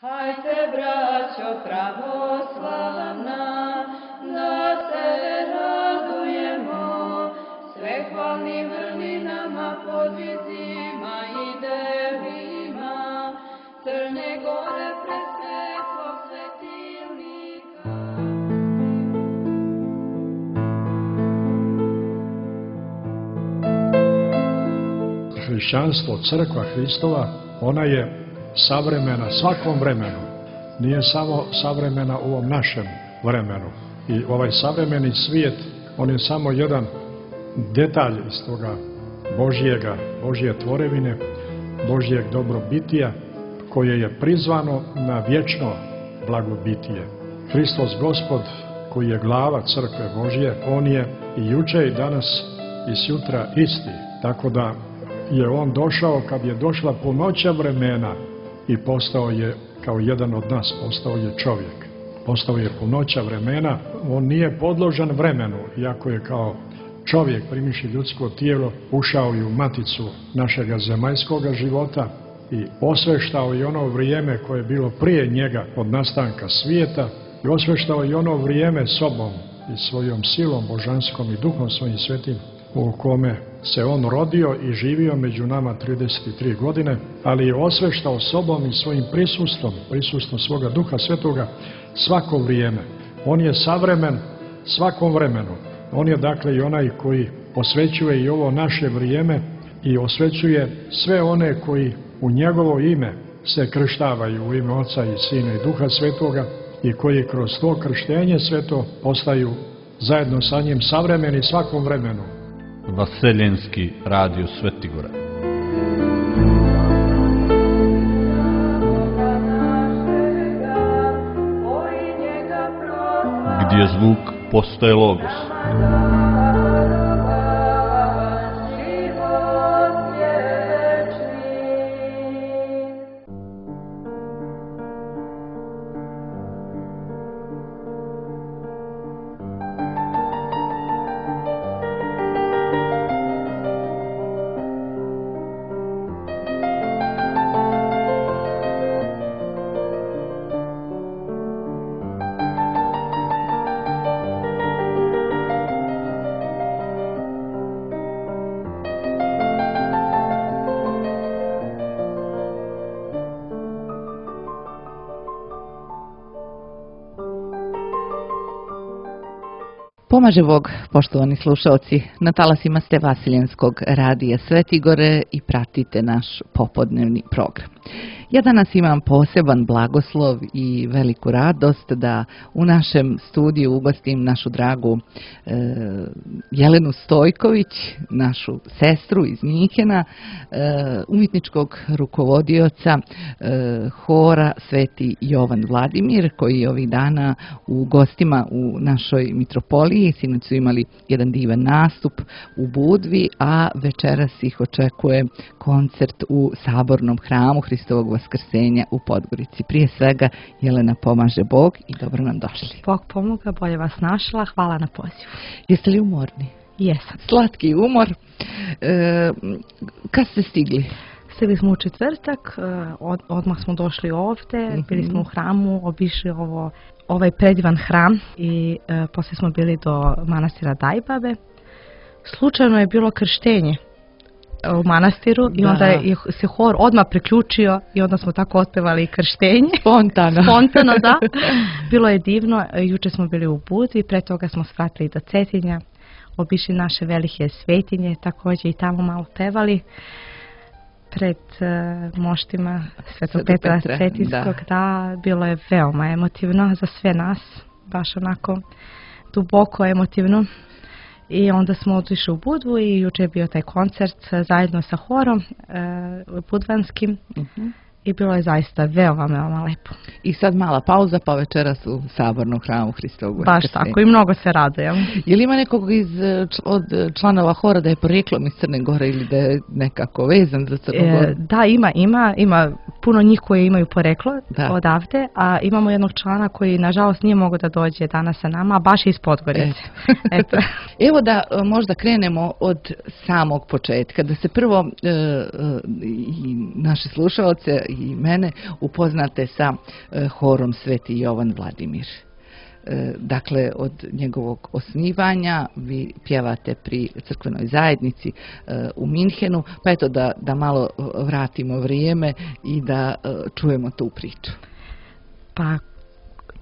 Hajte, braćo pravoslavna, da se radujemo, sve hvalnim vrlinama, podvizima i delima, Crne Gore pred svetlog svetilnika. Hrišćanstvo, crkva Hristova, ona je savremena svakom vremenu, nije samo savremena u ovom našem vremenu. I ovaj savremeni svijet, on je samo jedan detalj iz toga Božje tvorevine, Božjeg dobrobitija, koje je prizvano na vječno blagobitije. Hristos Gospod, koji je glava crkve Božje, on je i juče i danas i sutra isti. Tako da je on došao kad je došla punoća vremena i postao je kao jedan od nas, postao je čovjek. Postao je punoća vremena, on nije podložan vremenu, iako je kao čovjek primiši ljudsko tijelo, ušao i u maticu našega zemaljskoga života i osveštao i ono vrijeme koje je bilo prije njega od nastanka svijeta i osveštao i ono vrijeme sobom i svojom silom božanskom i duhom svojim svetim u kome se on rodio i živio među nama 33 godine, ali je osveštao sobom i svojim prisustvom svoga Duha Svetoga svako vrijeme. On je savremen svakom vremenu. On je dakle i onaj koji osvećuje i ovo naše vrijeme i osvećuje sve one koji u njegovo ime se krštavaju, u ime Oca i Sina i Duha Svetoga, i koji kroz to krštenje sveto postaju zajedno sa njim savremeni svakom vremenu. Vaseljenski radio Svetigora. Gdje zvuk postaje logos. Pomaže Bog, poštovani slušalci, na talasima ste Vaseljenskog radija Svetigore i pratite naš popodnevni program. Ja danas imam poseban blagoslov i veliku radost da u našem studiju ugostim našu dragu Jelenu Stojković, našu sestru iz Njihena, umjetničkog rukovodioca hora Sveti Jovan Vladimir, koji je ovih dana u gostima u našoj mitropoliji. Sinoć su imali jedan divan nastup u Budvi, a večeras ih očekuje koncert u Sabornom hramu Hristovog Vaskrsenja u Podgorici. Prije svega, Jelena, pomaže Bog i dobro nam došli. Bog pomoga, bolje vas našla, hvala na pozivu. Jeste li umorni? Jesam. Slatki umor. Kad ste stigli? Stigli smo u četvrtak, odmah smo došli ovdje, bili smo u hramu, obišli ovaj predivan hram i poslije smo bili do manastira Dajbabe. Slučajno je bilo krštenje u manastiru i onda je se hor odmah priključio i onda smo tako otpevali krštenje. Spontano, da. Bilo je divno. Juče smo bili u Budvi, pre toga smo svratili do Cetinja, obišli naše velike svetinje, također i tamo malo pevali pred moštima Svetog Petra Cetinskog. Da, bilo je veoma emotivno za sve nas, baš onako duboko emotivno. I onda smo otišli u Budvu i juče je bio taj koncert zajedno sa horom budvanskim i bilo je zaista veoma lepo. I sad mala pauza, pa večeras u Sabornom hramu Hristovog Vaskrsenja. Baš tako, i mnogo se radujemo. Je li ima nekog od članova hora da je porijeklom iz Crne Gore ili da je nekako vezan za Crnu Goru? Da, ima puno njih koji imaju poreklo odavde, a imamo jednog člana koji nažalost nije mogao da dođe danas sa nama, a baš je iz Podgorice. Evo da možda krenemo od samog početka, da se prvo i naše slušalce i mene upoznate sa horom Sveti Jovan Vladimir. Dakle, od njegovog osnivanja vi pjevate pri crkvenoj zajednici u Minhenu, pa eto da malo vratimo vrijeme i da čujemo tu priču. Pa,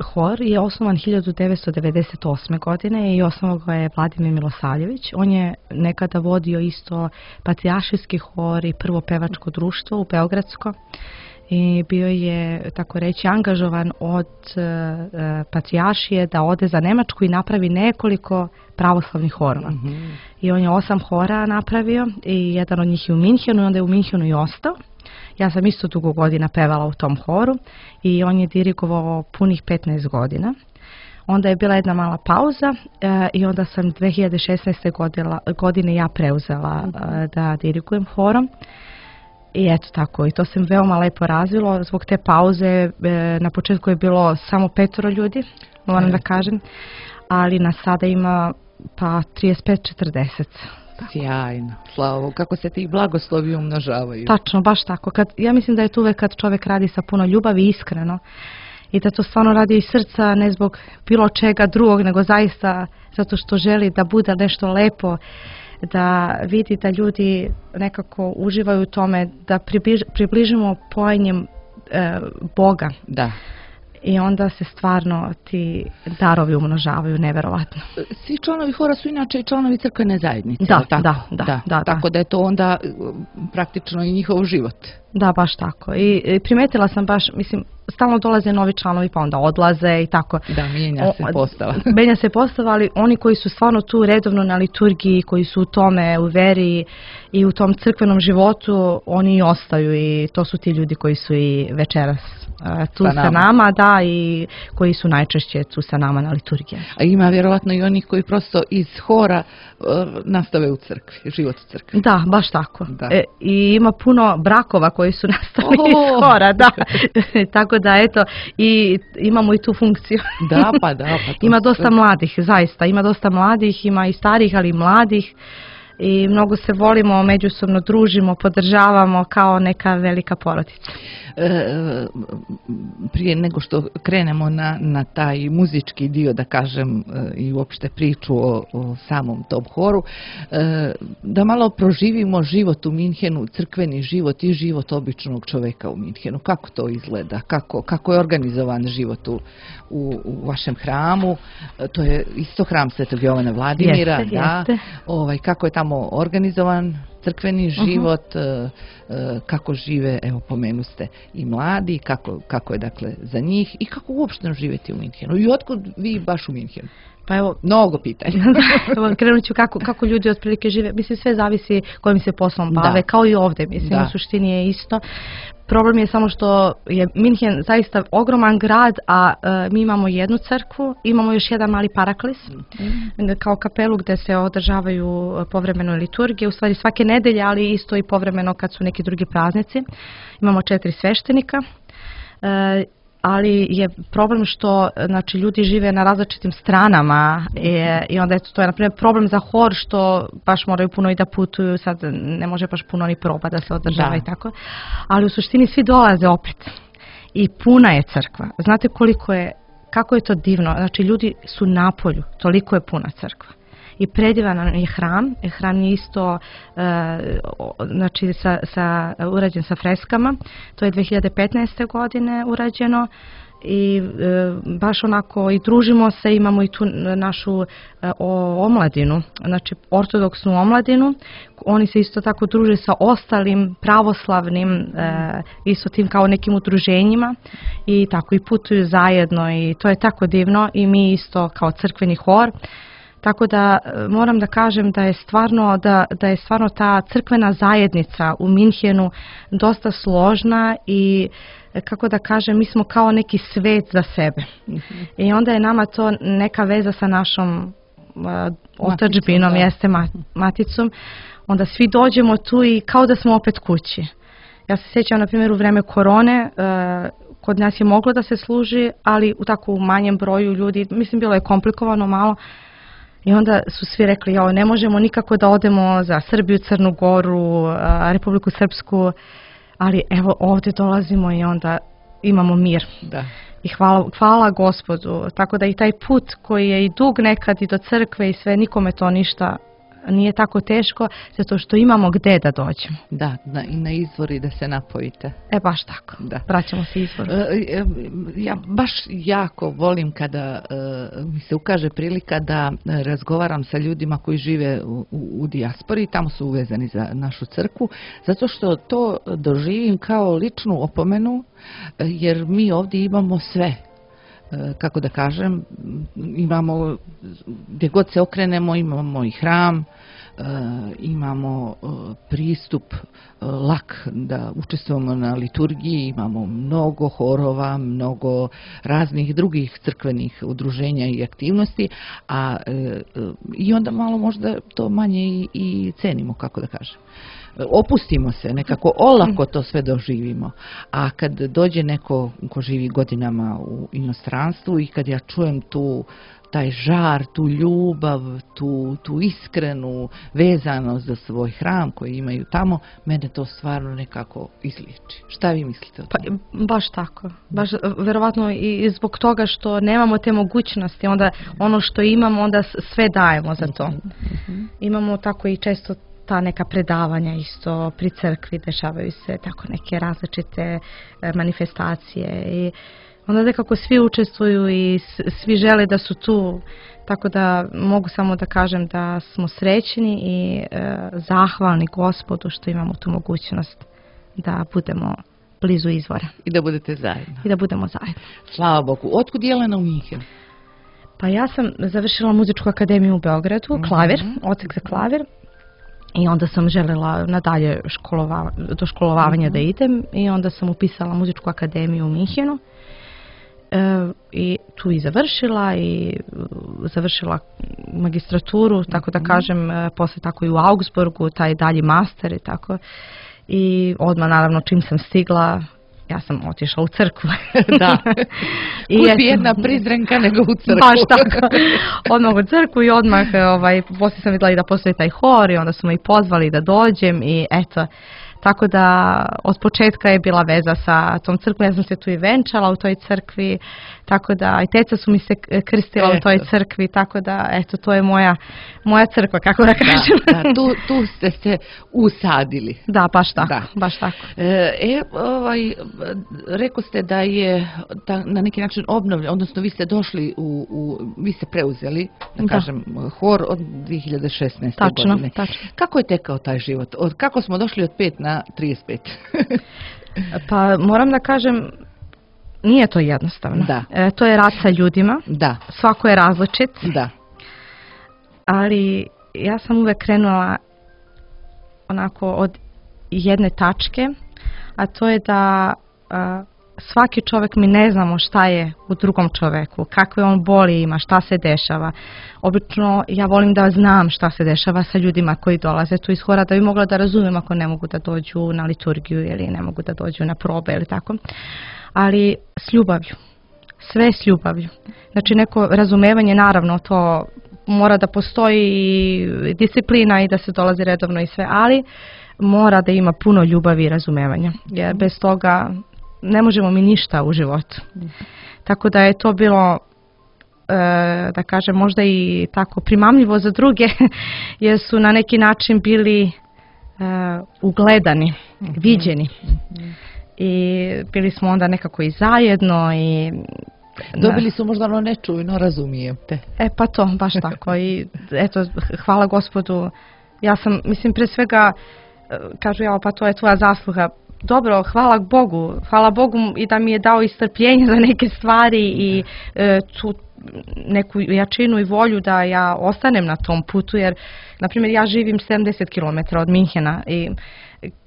hor je osnovan 1998. godine i osnovao ga je Vladimir Milosavljević. On je nekada vodio isto patrijaršijski hor i prvo pevačko društvo u Beogradsko. I bio je, tako reći, angažovan od patrijaršije da ode za Nemačku i napravi nekoliko pravoslavnih horova. I on je 8 hora napravio i jedan od njih je u Minhenu i onda je u Minhenu i ostao. Ja sam isto dugo godina pevala u tom horu i on je dirigovao punih 15 godina. Onda je bila jedna mala pauza i onda sam 2016. godine ja preuzela da dirigujem horom. I eto tako, i to se veoma lepo razvilo. Zbog te pauze na početku je bilo samo 5 ljudi, moram da kažem, ali nas sada ima pa 35-40. Sjajno, Slavo, kako se ti blagoslovi umnožavaju. Tačno, baš tako. Ja mislim da je to uvek kad čovjek radi sa puno ljubavi i iskreno i da to stvarno radi iz srca, ne zbog bilo čega drugog, nego zaista zato što želi da bude nešto lepo, da vidi da ljudi nekako uživaju u tome, da približimo pojenjem Boga. Da. I onda se stvarno ti darovi umnožavaju neverovatno. Svi članovi hora su inače i članovi crkvene zajednice. Da. Tako da je to onda praktično i njihov život. Da, baš tako. I primetila sam baš, mislim, stalno dolaze novi članovi pa onda odlaze i tako. Da, mijenja se postava. Menja se postava, ali oni koji su stvarno tu redovno na liturgiji, koji su u tome, u veri i u tom crkvenom životu, oni i ostaju i to su ti ljudi koji su i večeras tu sa nama, da, i koji su najčešće tu sa nama na liturgiji. A ima vjerovatno i onih koji prosto iz hora nastave u crkvi, život u crkvi. Da, baš tako. I ima puno brakova koji su nastali iz hora, da. Tako da, eto, i imamo i tu funkciju. Da. Ima dosta mladih, zaista. Ima dosta mladih, ima i starih, ali i mladih. I mnogo se volimo, međusobno družimo, podržavamo kao neka velika porodica. Prije nego što krenemo na taj muzički dio, da kažem, i uopšte priču o samom tom horu, da malo proživimo život u Minhenu, crkveni život i život običnog čoveka u Minhenu. Kako to izgleda? Kako je organizovan život u vašem hramu? To je isto hram Svetog Jovana Vladimira. Jeste. Kako je tamo organizovan crkveni život, kako žive, evo pomenuste i mladi, kako je dakle za njih i kako uopšte živjeti u Minhenu. I otkud vi baš u Minhenu? Pa evo, mnogo pitanja. Krenut ću kako ljudi otprilike žive. Mislim, sve zavisi kojim se poslom bave, kao i ovdje. Mislim, u suštini je isto. Problem je samo što je Minhen zaista ogroman grad, a mi imamo jednu crkvu, imamo još jedan mali paraklis, kao kapelu gdje se održavaju povremeno liturgije, u stvari svake nedelje, ali isto i povremeno kad su neki drugi praznici. Imamo 4 sveštenika, ali je problem što znači, ljudi žive na različitim stranama i onda to je na primjer problem za hor što baš moraju puno i da putuju, sad ne može baš puno ni proba da se održava i tako, ali u suštini svi dolaze opet i puna je crkva. Znate kako je to divno, znači ljudi su na polju, toliko je puna crkva. I predivan je hram. Hram je isto znači, urađen sa freskama. To je 2015. godine urađeno i baš onako i družimo se, imamo i tu našu omladinu, znači ortodoksnu omladinu. Oni se isto tako druže sa ostalim pravoslavnim, isto tim kao nekim udruženjima i tako i putuju zajedno i to je tako divno i mi isto kao crkveni hor. Tako da moram da kažem da je stvarno ta crkvena zajednica u Minhenu dosta složna i kako da kažem, mi smo kao neki svet za sebe. I onda je nama to neka veza sa našom otadžbinom, jeste maticom. Onda svi dođemo tu i kao da smo opet kući. Ja se sjećam, na primjer, u vreme korone, kod nas je moglo da se služi, ali u tako manjem broju ljudi, mislim, bilo je komplikovano malo. I onda su svi rekli, ne možemo nikako da odemo za Srbiju, Crnu Goru, Republiku Srpsku, ali evo ovdje dolazimo i onda imamo mir. Da. I hvala Gospodu, tako da i taj put koji je i dug nekad i do crkve i sve, nikome to ništa nije tako teško, zato što imamo gdje da dođemo. Da, i na izvor i da se napojite. Baš tako, da. Vraćamo se izvoru. Ja baš jako volim kada mi se ukaže prilika da razgovaram sa ljudima koji žive u dijaspori, tamo su uvezani za našu crkvu, zato što to doživim kao ličnu opomenu, jer mi ovdje imamo sve. Kako da kažem, imamo, gdje god se okrenemo, imamo i hram, imamo pristup lak da učestvujemo na liturgiji, imamo mnogo horova, mnogo raznih drugih crkvenih udruženja i aktivnosti, i onda malo možda to manje i cenimo, kako da kažem. Opustimo se, nekako olako to sve doživimo. A kad dođe neko ko živi godinama u inostranstvu i kad ja čujem taj žar, tu ljubav, tu iskrenu vezanost za svoj hram koji imaju tamo, mene to stvarno nekako izliječi. Šta vi mislite o tome? Baš tako. Baš verovatno i zbog toga što nemamo te mogućnosti, onda ono što imamo, onda sve dajemo za to. Imamo tako i često ta neka predavanja isto pri crkvi, dešavaju se tako neke različite manifestacije i onda nekako svi učestvuju i svi žele da su tu, tako da mogu samo da kažem da smo srećni i zahvalni Gospodu što imamo tu mogućnost da budemo blizu izvora. I da budete zajedno. I da budemo zajedno. Slava Bogu. Otkud Jelena u Minhenu? Pa ja sam završila muzičku akademiju u Beogradu, klavir, odsek za klavir. I onda sam željela nadalje do školovanja da idem i onda sam upisala muzičku akademiju u Minhenu i tu i završila magistraturu, tako da kažem, posle tako i u Augsburgu, taj dalji master i tako. I odmah naravno čim sam stigla, ja sam otišla u crkvu. Da. Kud bi jedna prizrenka nego u crkvu. Baš tako. Odmah u crkvu i odmah, poslije sam vidjela i da postoji taj hor i onda su me i pozvali da dođem i eto. Tako da od početka je bila veza sa tom crkvom, ja sam se tu i venčala u toj crkvi, tako da i teca su mi se krstila u toj crkvi, tako da eto to je moja crkva, kako da kažem. Da, tu ste se usadili. Da, baš tako, baš tako. Rekao ste da je na neki način obnovljen, odnosno vi ste došli vi ste preuzeli, da kažem, hor od 2016. godine. Tačno. Kako je tekao taj život? Kako smo došli od 5 na 35? Pa moram da kažem, nije to jednostavno. Da. To je rad sa ljudima. Da. Svako je različit. Da. Ali ja sam uvek krenula onako od jedne tačke, a to je da svaki čovjek, mi ne znamo šta je u drugom čovjeku, kakve on boli ima, šta se dešava. Obično ja volim da znam šta se dešava sa ljudima koji dolaze tu iz hora, da bi mogla da razumem ako ne mogu da dođu na liturgiju ili ne mogu da dođu na probe ili tako. Ali s ljubavlju. Sve s ljubavlju. Znači neko razumevanje, naravno to mora da postoji i disciplina i da se dolazi redovno i sve, ali mora da ima puno ljubavi i razumevanja. Jer bez toga ne možemo mi ništa u životu. Tako da je to bilo, da kažem, možda i tako primamljivo za druge, jer su na neki način bili ugledani, viđeni. I bili smo onda nekako i zajedno i dobili su možda ono nečujno, razumijem te. Pa to, baš tako. I eto, hvala Gospodu. Ja sam, mislim, pre svega, kažu ja, pa to je tvoja zasluga. Dobro, hvala Bogu i da mi je dao istrpljenje za neke stvari i tu neku jačinu i volju da ja ostanem na tom putu, jer, na primjer, ja živim 70 km od Minhena i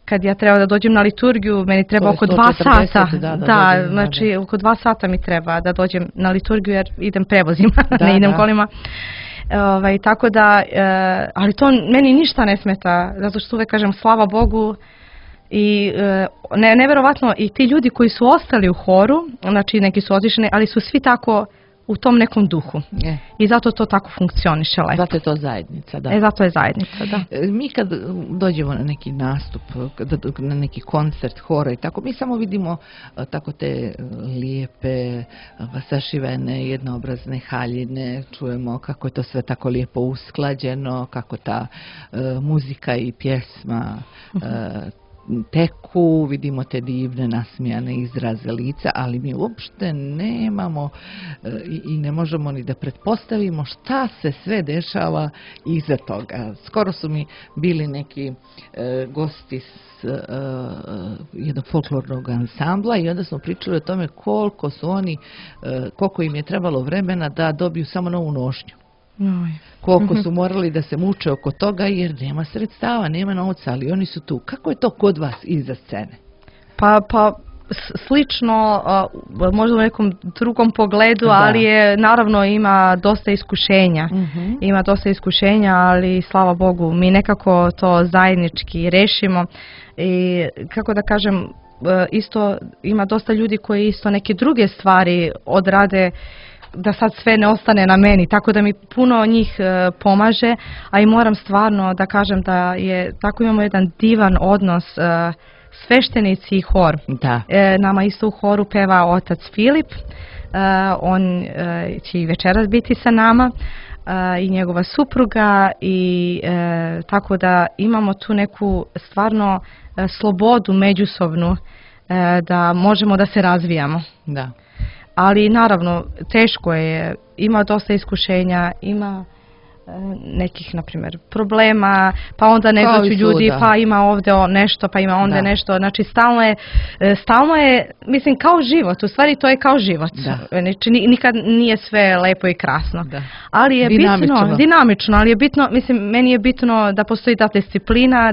kad ja treba da dođem na liturgiju, meni treba oko 2 sata. Da, znači oko 2 sata mi treba da dođem na liturgiju jer idem prevozima, ne idem kolima. Tako da, ali to meni ništa ne smeta, zato što uvek kažem slava Bogu. I neverovatno i ti ljudi koji su ostali u horu, znači neki su otišli, ali su svi tako u tom nekom duhu. I zato to tako funkcioniše lepo. Zato je to zajednica, da. Zato je zajednica, da. Mi kad dođemo na neki nastup, na neki koncert, hora i tako, mi samo vidimo tako te lijepe, sašivene, jednoobrazne haljine, čujemo kako je to sve tako lijepo usklađeno, kako ta muzika i pjesma teku, vidimo te divne nasmijane izraze lica, ali mi uopšte nemamo i ne možemo ni da pretpostavimo šta se sve dešava iza toga. Skoro su mi bili neki gosti s jednog folklornog ansambla i onda smo pričali o tome koliko im je trebalo vremena da dobiju samo novu nošnju. Koliko su morali da se muče oko toga jer nema sredstava, nema novca, ali oni su tu. Kako je to kod vas iza scene? Pa slično, možda u nekom drugom pogledu, ali je naravno ima dosta iskušenja. Ima dosta iskušenja, ali slava Bogu, mi nekako to zajednički rešimo i kako da kažem, isto ima dosta ljudi koji isto neke druge stvari odrade da sad sve ne ostane na meni, tako da mi puno njih pomaže, a i moram stvarno da kažem da je, tako imamo jedan divan odnos sveštenici i hor. Da. Nama isto u horu peva otac Filip, on će i večeras biti sa nama i njegova supruga i tako da imamo tu neku stvarno slobodu međusobnu da možemo da se razvijamo. Da. Ali naravno teško je, ima dosta iskušenja, ima nekih, na primjer, problema, pa onda ne dođu ljudi, pa ima ovdje nešto, pa ima onda nešto. Znači stalno je, mislim, kao život, u stvari to je kao život. Znači nikad nije sve lepo i krasno. Ali je dinamično, ali je bitno, mislim, meni je bitno da postoji ta disciplina,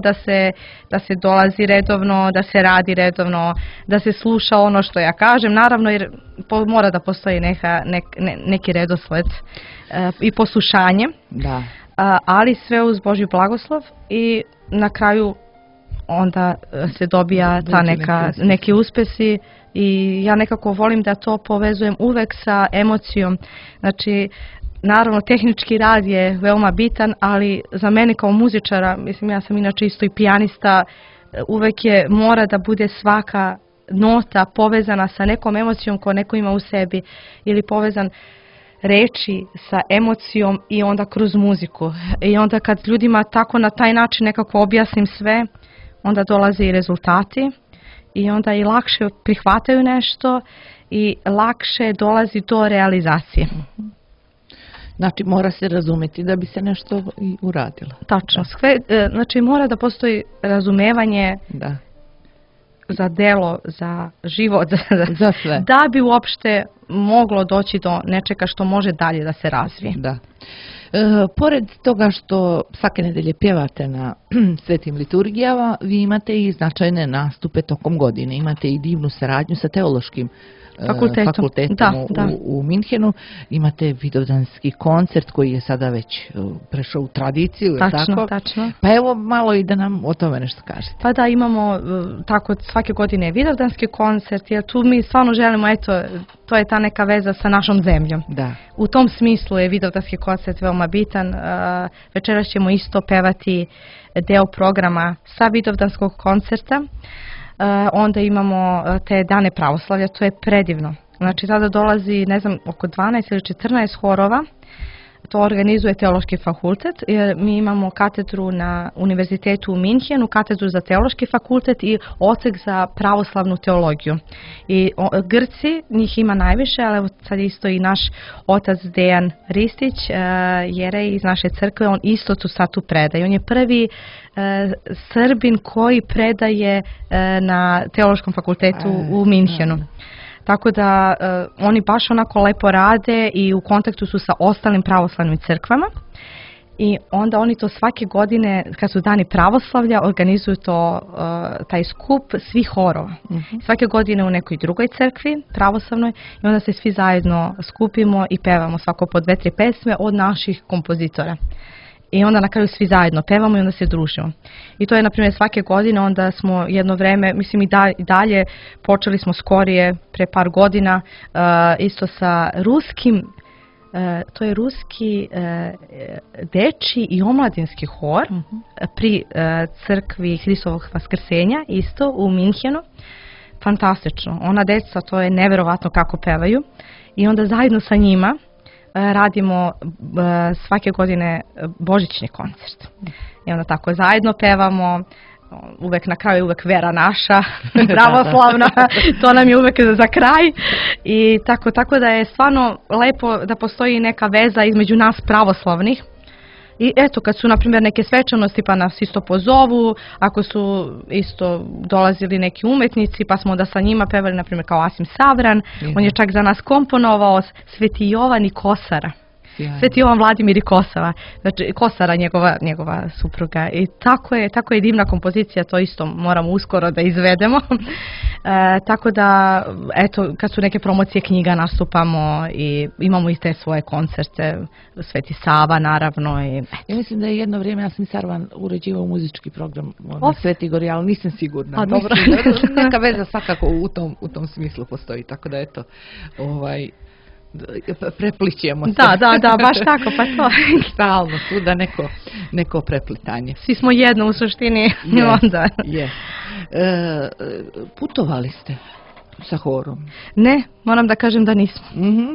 da se dolazi redovno, da se radi redovno, da se sluša ono što ja kažem, naravno jer mora da postoji neki redosled i poslušanje, ali sve uz Božji blagoslov i na kraju onda se dobija ta neki uspesi i ja nekako volim da to povezujem uvek sa emocijom. Znači, naravno, tehnički rad je veoma bitan, ali za mene kao muzičara, mislim, ja sam inače isto i pijanista, uvek mora da bude svaka nota povezana sa nekom emocijom koju neko ima u sebi ili povezan reči sa emocijom i onda kroz muziku. I onda kad ljudima tako na taj način nekako objasnim sve, onda dolaze i rezultati i onda i lakše prihvataju nešto i lakše dolazi do realizacije. Znači mora se razumjeti da bi se nešto i uradilo. Tačno. Znači mora da postoji razumevanje za delo, za život, za sve. Da bi uopšte moglo doći do nečega što može dalje da se razvije. Da. Pored toga što svake nedelje pjevate na svetim liturgijama, vi imate i značajne nastupe tokom godine. Imate i divnu saradnju sa teološkim fakultetom u Minhenu. Imate vidovdanski koncert koji je sada već prešao u tradiciju. Tačno. Pa evo malo i da nam o tome nešto kažete. Pa da, imamo tako svake godine vidovdanski koncert, jer tu mi stvarno želimo, eto, to je ta neka veza sa našom zemljom. Da. U tom smislu je vidovdanski koncert veoma bitan. Večeras ćemo isto pevati deo programa sa vidovdanskog koncerta. Onda imamo te dane pravoslavlja, to je predivno. Znači tada dolazi, ne znam, oko 12 ili 14 horova, to organizuje Teološki fakultet. Mi imamo katedru na Univerzitetu u Minhenu, katedru za Teološki fakultet i odsek za pravoslavnu teologiju. I Grci, njih ima najviše, ali evo sad isto i naš otac Dejan Ristić, jerej iz naše crkve, on isto tu predaje. On je prvi Srbin koji predaje na Teološkom fakultetu u Minhenu. Tako da oni baš onako lepo rade i u kontaktu su sa ostalim pravoslavnim crkvama i onda oni to svake godine, kad su dani pravoslavlja, organizuju taj skup svih horova. Svake godine u nekoj drugoj crkvi pravoslavnoj i onda se svi zajedno skupimo i pevamo svako po 2-3 pesme od naših kompozitora. i onda na kraju svi zajedno pevamo i onda se družimo. I to je, na primjer, svake godine, onda smo jedno vreme, mislim i dalje, počeli smo skorije, pre par godina, isto sa ruskim, to je ruski dečji i omladinski hor pri crkvi Hristovog Vaskrsenja, isto u Minhenu. Fantastično. Ona deca, to je neverovatno kako pevaju. I onda zajedno sa njima radimo svake godine božićni koncert. I onda tako zajedno pevamo, uvek na kraju uvek vera naša, pravoslavna, to nam je uvek za kraj. I tako da je stvarno lepo da postoji neka veza između nas pravoslavnih. I eto, kad su, na primjer, neke svečanosti, pa nas isto pozovu, ako su isto dolazili neki umetnici, pa smo da sa njima pevali, na primjer, kao Asim Savran, on je čak za nas komponovao Sveti Jovan i Kosara. Sveti Jovan Vladimir i Kosava, znači Kosara, njegova supruga. I tako je divna kompozicija, to isto moramo uskoro da izvedemo. Tako da, eto, kad su neke promocije knjiga nastupamo i imamo i te svoje koncerte, Sveti Sava naravno. Ja mislim da je jedno vrijeme Asim Sarvan uređivao muzički program na Svetigori, ali nisam sigurna. Dobro. Neka veza svakako u tom smislu postoji, tako da eto, preplićemo se. Da, baš tako, pa to. Stalno tu da neko preplitanje. Svi smo jedno u suštini. Onda. Putovali ste sa horom? Ne, moram da kažem da nismo.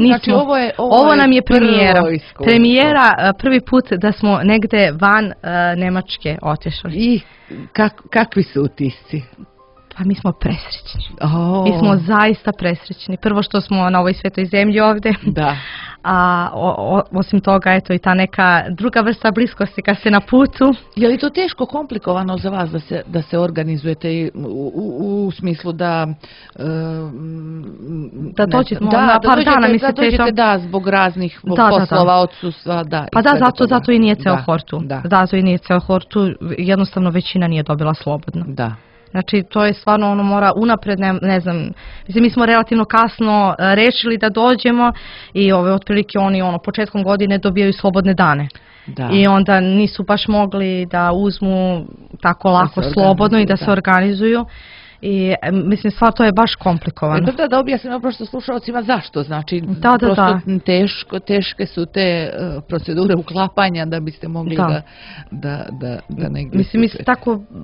Znači ovo nam je premijera. Premijera, prvi put da smo negde van Nemačke otišli. I kakvi su utisci? Pa mi smo presrećni. Mi smo zaista presrećni. Prvo što smo na ovoj svetoj zemlji ovde. Da. A osim toga, eto i ta neka druga vrsta bliskosti kad ste na putu. Je li to teško, komplikovano za vas da se organizujete u smislu da dođete na par dana, mislite da, zbog raznih poslova, odsustva, da. Pa da, zato i nije ceo hor tu. Zato i nije ceo hor tu, jednostavno većina nije dobila slobodno. Da. Znači, to je stvarno, mora unapred, ne znam, mislim, mi smo relativno kasno rešili da dođemo i otprilike oni, početkom godine dobijaju slobodne dane. Da. I onda nisu baš mogli da uzmu tako lako slobodno i da se organizuju. I mislim, stvar to je baš komplikovano. Da objasnim prosto slušalcima zašto, znači teške su te procedure uklapanja da biste mogli da negdje...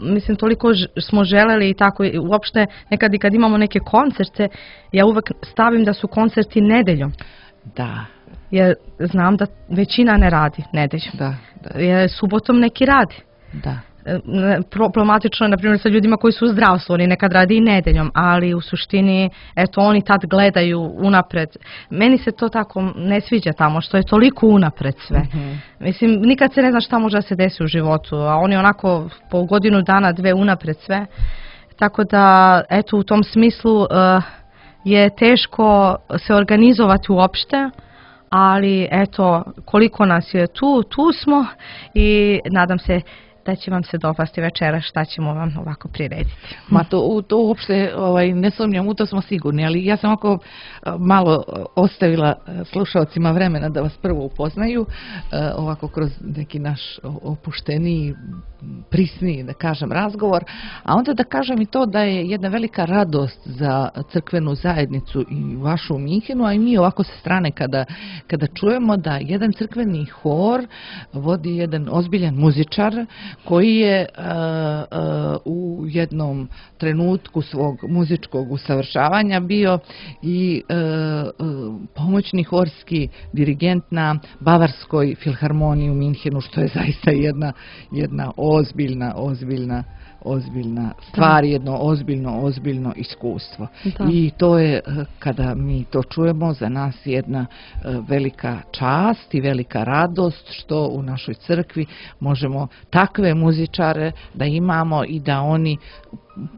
Mislim, toliko smo želeli i tako, uopšte nekad i kad imamo neke koncerte, ja uvek stavim da su koncerti nedeljom. Da. Jer znam da većina ne radi nedeljom. Da. Jer subotom neki radi. Da. Problematično je, na primjer, sa ljudima koji su u zdravstvu, oni nekad radi i nedeljom, ali u suštini, eto, oni tad gledaju unapred. Meni se to tako ne sviđa tamo, što je toliko unapred sve. Mislim, nikad se ne zna šta može da se desi u životu, a oni onako po godinu dana, dve unapred sve. Tako da, eto, u tom smislu je teško se organizovati uopšte, ali eto, koliko nas je tu smo i nadam se da će vam se dopasti večera šta ćemo vam ovako prirediti. Ma to uopšte ne sumnjam, u to smo sigurni, ali ja sam ovako malo ostavila slušalcima vremena da vas prvo upoznaju, ovako kroz neki naš opušteniji, prisniji, da kažem, razgovor, a onda da kažem i to da je jedna velika radost za crkvenu zajednicu i vašu u Minhenu, a i mi ovako sa strane kada čujemo da jedan crkveni hor vodi jedan ozbiljan muzičar koji je u jednom trenutku svog muzičkog usavršavanja bio i pomoćni horski dirigent na Bavarskoj filharmoniji u Minhenu, što je zaista jedna ozbiljna stvar, jedno ozbiljno iskustvo. I to je, kada mi to čujemo, za nas jedna velika čast i velika radost što u našoj crkvi možemo takve muzičare da imamo i da oni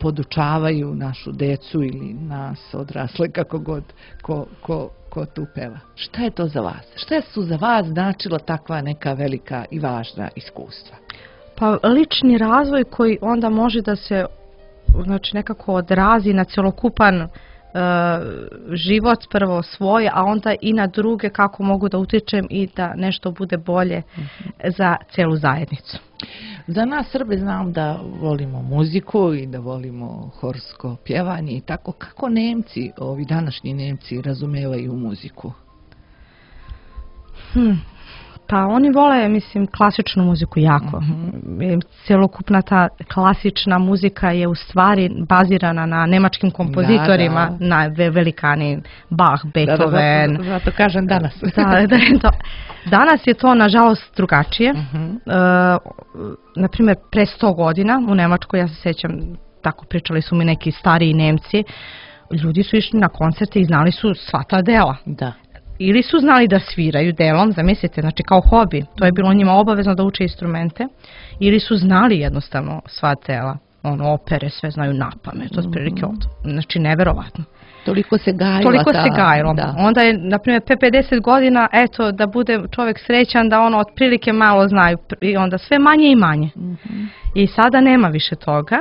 podučavaju našu decu ili nas odrasle, kako god ko tu peva. Šta je to za vas? Šta su za vas značilo takva neka velika i važna iskustva? Pa lični razvoj koji onda može da se nekako odrazi na celokupan život prvo svoj, a onda i na druge kako mogu da utičem i da nešto bude bolje za celu zajednicu. Za nas Srbe znam da volimo muziku i da volimo horsko pjevanje i tako. Kako Nemci, ovi današnji Nemci, razumevaju muziku? Pa oni vole, mislim, klasičnu muziku jako. Cjelokupna ta klasična muzika je u stvari bazirana na nemačkim kompozitorima, na velikani Bach, Beethoven. Zato kažem danas. Danas je to, nažalost, drugačije. Naprimjer, pre 100 godina u Nemačkoj, ja se sjećam, tako pričali su mi neki stariji Nemci, ljudi su išli na koncerte i znali su sva ta dela. Da. Ili su znali da sviraju delom, zamislite, znači kao hobi, to je bilo njima obavezno da uče instrumente, ili su znali jednostavno sva dela, opere, sve znaju napamet, to je prilike znači neverovatno. Toliko se gajilo. Toliko se gajilo. Onda je, na primjer, 50 godina, eto, da bude čovjek srećan, da ono otprilike malo znaju, i onda sve manje i manje. I sada nema više toga.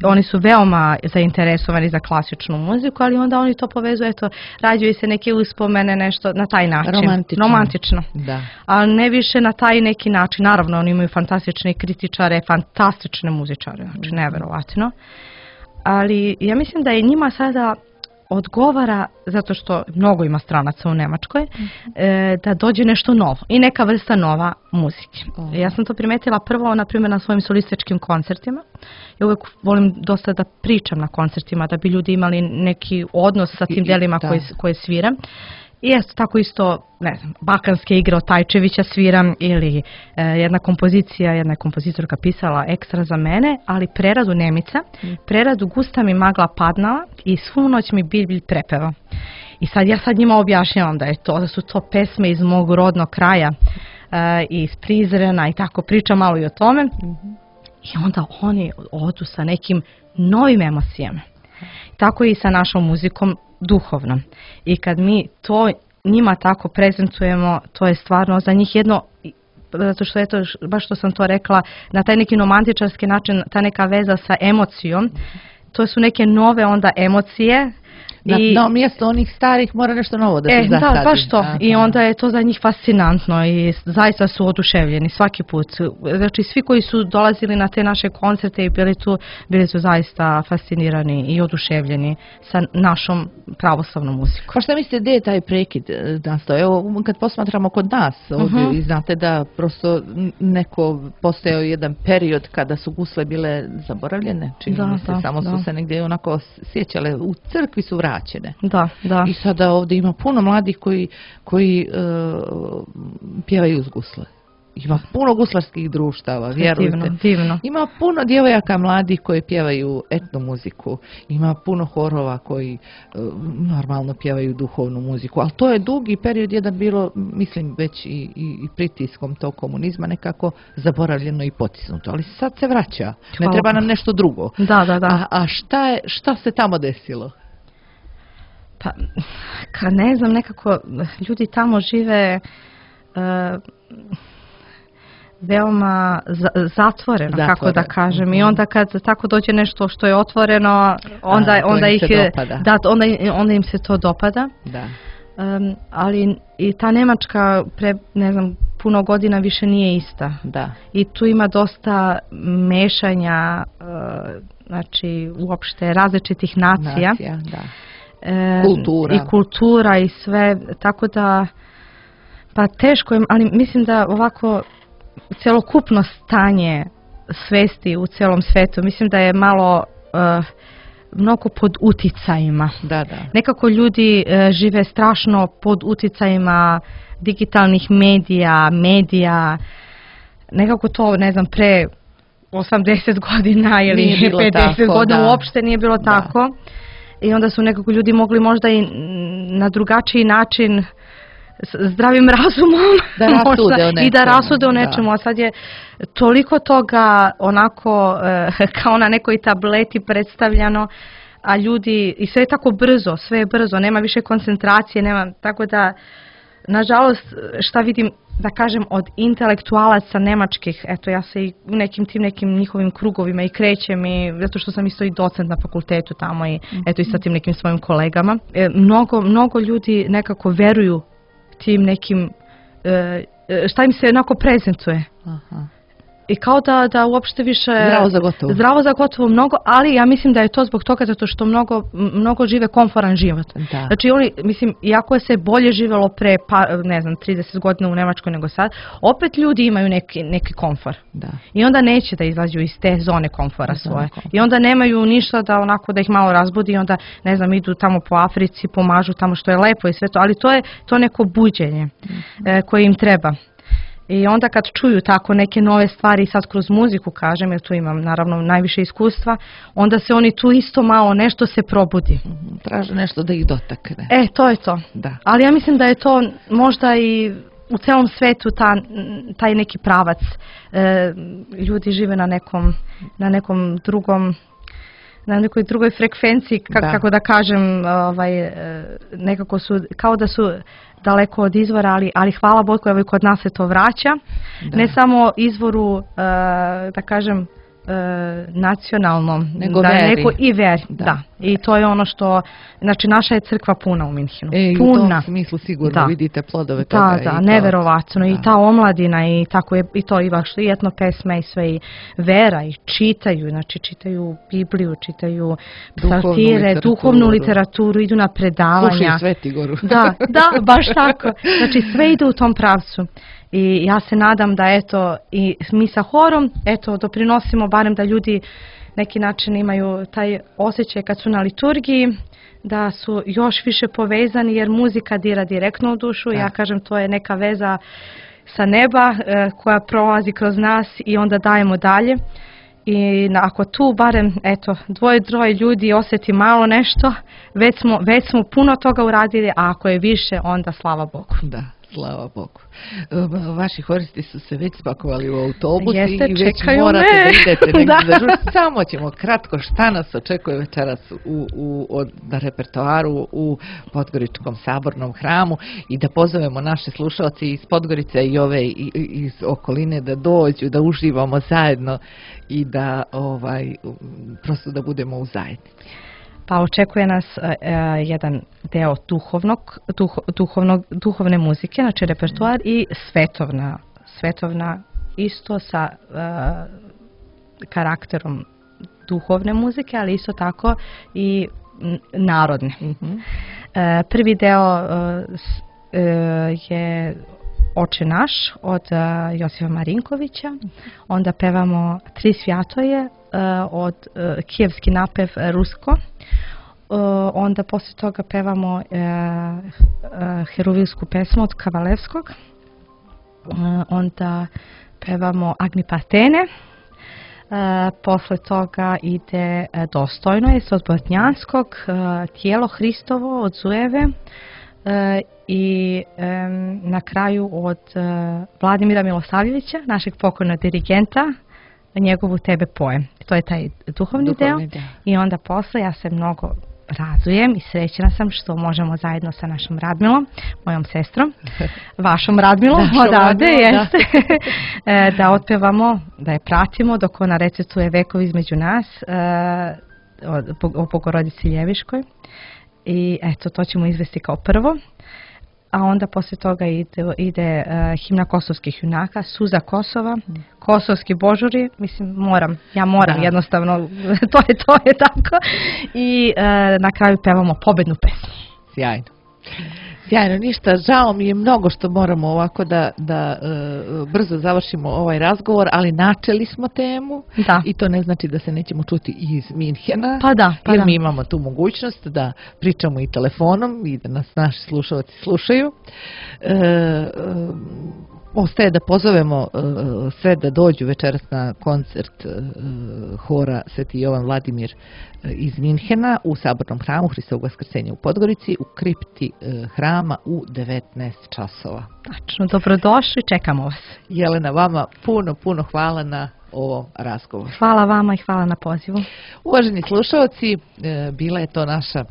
Oni su veoma zainteresovani za klasičnu muziku, ali onda oni to povezuju, eto, rađuju se neke uspomene, nešto na taj način. Romantično. Da. Ali ne više na taj neki način. Naravno, oni imaju fantastične kritičare, fantastične muzičare, znači neverovatno. Ali ja mislim da je njima sada odgovara, zato što mnogo ima stranaca u Nemačkoj, da dođe nešto novo i neka vrsta nova muzike. Ja sam to primetila prvo, na primjer, na svojim solističkim koncertima. Ja uvijek volim dosta da pričam na koncertima, da bi ljudi imali neki odnos sa tim delima koje sviram. I eto, tako isto, ne znam, balkanske igre od Tajčevića sviram ili jedna je kompozitorka pisala ekstra za mene, ali preradu Nemica, preradu Gusta mi magla padnala i svu noć mi bilj prepeva. I ja sad njima objašnjavam da su to pesme iz mog rodnog kraja, iz Prizrena i tako, pričam malo i o tome. I onda oni odu sa nekim novim emocijama. Tako i sa našom muzikom duhovnom. I kad mi to njima tako prezentujemo, to je stvarno za njih jedno, zato što eto, baš što sam to rekla, na taj neki romantičarski način, ta neka veza sa emocijom, to su neke nove onda emocije. Na mjesto onih starih mora nešto novo da se zasadi. Da, baš to. I onda je to za njih fascinantno i zaista su oduševljeni svaki put. Znači svi koji su dolazili na te naše koncerte i bili su zaista fascinirani i oduševljeni sa našom pravoslavnom muzikom. Pa šta mislite, gdje je taj prekid nastao? Evo, kad posmatramo kod nas, ovdje, znate da prosto postojao jedan period kada su gusle bile zaboravljene, čini mi se, samo su se negdje onako sjećale, u crkvi su vraćene. Da. I sada ovdje ima puno mladih koji pjevaju uz gusle. Ima puno guslarskih društava, vjerujte. Divno. Ima puno djevojaka mladih koji pjevaju etno muziku. Ima puno horova koji normalno pjevaju duhovnu muziku. Ali to je dugi period jedan bilo, mislim, već i pritiskom tog komunizma nekako zaboravljeno i potisnuto. Ali sad se vraća. Ne treba nam nešto drugo. Da. A šta se tamo desilo? Pa, ne znam, nekako ljudi tamo žive veoma zatvoreno, kako da kažem. I onda kad tako dođe nešto što je otvoreno, onda im se to dopada. Da. Ali i ta Nemačka ne znam, puno godina više nije ista. Da. I tu ima dosta mešanja, znači uopšte različitih nacija. Da. I kultura i sve, tako da pa teško je, ali mislim da ovako celokupno stanje svesti u celom svetu, mislim da je malo mnogo pod uticajima. Da. Nekako ljudi žive strašno pod uticajima digitalnih medija, nekako to, ne znam, pre 80 godina ili 50 godina uopšte nije bilo tako. I onda su nekako ljudi mogli možda i na drugačiji način zdravim razumom da rasude o nečemu. A sad je toliko toga onako kao na nekoj tableti predstavljano, a ljudi, i sve je tako brzo, sve je brzo, nema više koncentracije, tako da nažalost, šta vidim, da kažem, od intelektualaca nemačkih, eto, ja se i u nekim njihovim krugovima i krećem, i zato što sam isto i docent na fakultetu tamo i eto i sa tim nekim svojim kolegama. Mnogo ljudi nekako veruju tim nekim, šta im se onako prezentuje. Aha. I kao da uopšte više... Zdravo za gotovo mnogo, ali ja mislim da je to zbog toga zato što mnogo žive komforan život. Da. Znači oni, mislim, iako je se bolje živjelo pre, ne znam, 30 godina u Nemačkoj nego sad, opet ljudi imaju neki komfor. Da. I onda neće da izađu iz te zone komfora svoje. I onda nemaju ništa da onako da ih malo razbudi i onda, ne znam, idu tamo po Africi, pomažu tamo što je lepo i sve to, ali to je to neko buđenje koje im treba. I onda kad čuju tako neke nove stvari, sad kroz muziku kažem, jer tu imam naravno najviše iskustva, onda se oni tu isto malo nešto se probudi. Traže nešto da ih dotakne. To je to. Da. Ali ja mislim da je to možda i u celom svetu taj neki pravac. Ljudi žive na nekom drugom, na nekoj drugoj frekvenciji, kako da kažem, nekako su, kao da su daleko od izvora, ali hvala Bogu, evo i kod nas se to vraća. Da. Ne samo izvoru, da kažem, nacionalnom, nego veri. I veri, da. I to je ono što, znači naša je crkva puna u Minhenu. Puna. U tom smislu sigurno vidite plodove toga. Da, neverovatno. I ta omladina i tako je, i to i etno pesme i sve, i vera, i čitaju, znači čitaju Bibliju, čitaju psaltire, duhovnu literaturu, idu na predavanja. Slušaju Svetigoru. Da, baš tako. Znači sve ide u tom pravcu. I ja se nadam da eto i mi sa horom doprinosimo barem da ljudi neki način imaju taj osjećaj kad su na liturgiji, da su još više povezani jer muzika dira direktno u dušu. Ja kažem, to je neka veza sa neba koja prolazi kroz nas i onda dajemo dalje. I ako tu barem dvoje ljudi osjeti malo nešto, već smo puno toga uradili, a ako je više, onda slava Bogu. Da. Slava Bogu. Vaši horisti su se već spakovali u autobus i već čekaju morate da idete negdje za žurci. Samo ćemo kratko šta nas očekuje večeras na repertoaru u Podgoričkom sabornom hramu i da pozovemo naše slušalce iz Podgorice i ove iz okoline da dođu, da uživamo zajedno i da prosto da budemo u zajednici. Pa očekuje nas jedan deo duhovne muzike, znači repertoar i svetovna isto sa karakterom duhovne muzike, ali isto tako i narodne. Prvi deo je Oče naš od Josipa Marinkovića, onda pevamo Tri svjatoje od kijevski napev rusko, onda poslije toga pevamo heruvilsku pesmu od Kavalevskog, onda pevamo Agni Partene, posle toga ide Dostojno je od Botnjanskog, Tijelo Hristovo od Zujeve, i na kraju od Vladimira Milosavljevića, našeg pokojnog dirigenta, njegovu Tebe pojem. To je taj duhovni deo. I onda posle ja se mnogo radujem i srećna sam što možemo zajedno sa našom Radmilom, mojom sestrom, vašom Radmilom odavde, jeste, da otpevamo, da je pratimo dok ona recituje Vekovi između nas o Bogorodici Ljeviškoj. I eto, to ćemo izvesti kao prvo. A onda poslije toga ide himna kosovskih junaka, Suza Kosova, kosovski božuri, mislim moram jednostavno, to je tako. I na kraju pevamo pobednu pesmu. Sjajno. Sjajno, ništa, žao mi je mnogo što moramo ovako da brzo završimo ovaj razgovor, ali načeli smo temu i to ne znači da se nećemo čuti iz Minhena, jer mi imamo tu mogućnost da pričamo i telefonom i da nas naši slušalci slušaju. Ostaje da pozovemo sve da dođu večeras na koncert hora Sveti Jovan Vladimir iz Minhena u Sabornom hramu Hristovog Vaskrsenja u Podgorici u kripti hrama u 19 časova. Tačno, dobrodošli, čekamo vas. Jelena, vama puno hvala na ovom razgovoru. Hvala vama i hvala na pozivu. Uvaženi slušalci, bila je to naša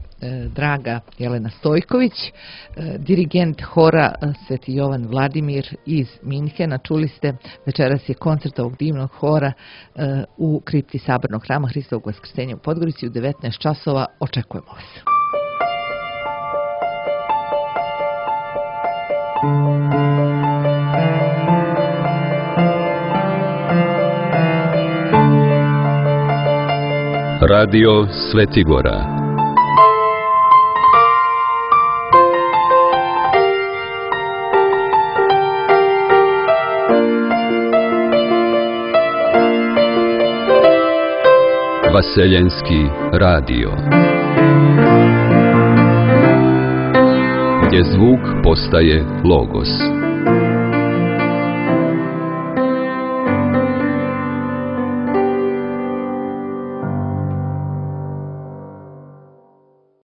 draga Jelena Stojković, dirigent hora Sveti Jovan Vladimir iz Minhena. Čuli ste, večeras je koncert ovog divnog hora u kripti Sabornog hrama Hristovog Vaskrsenja u Podgorici u 19 časova. Očekujemo vas. Radio Svetigora. Vaseljenski radio. Gdje zvuk postaje logos.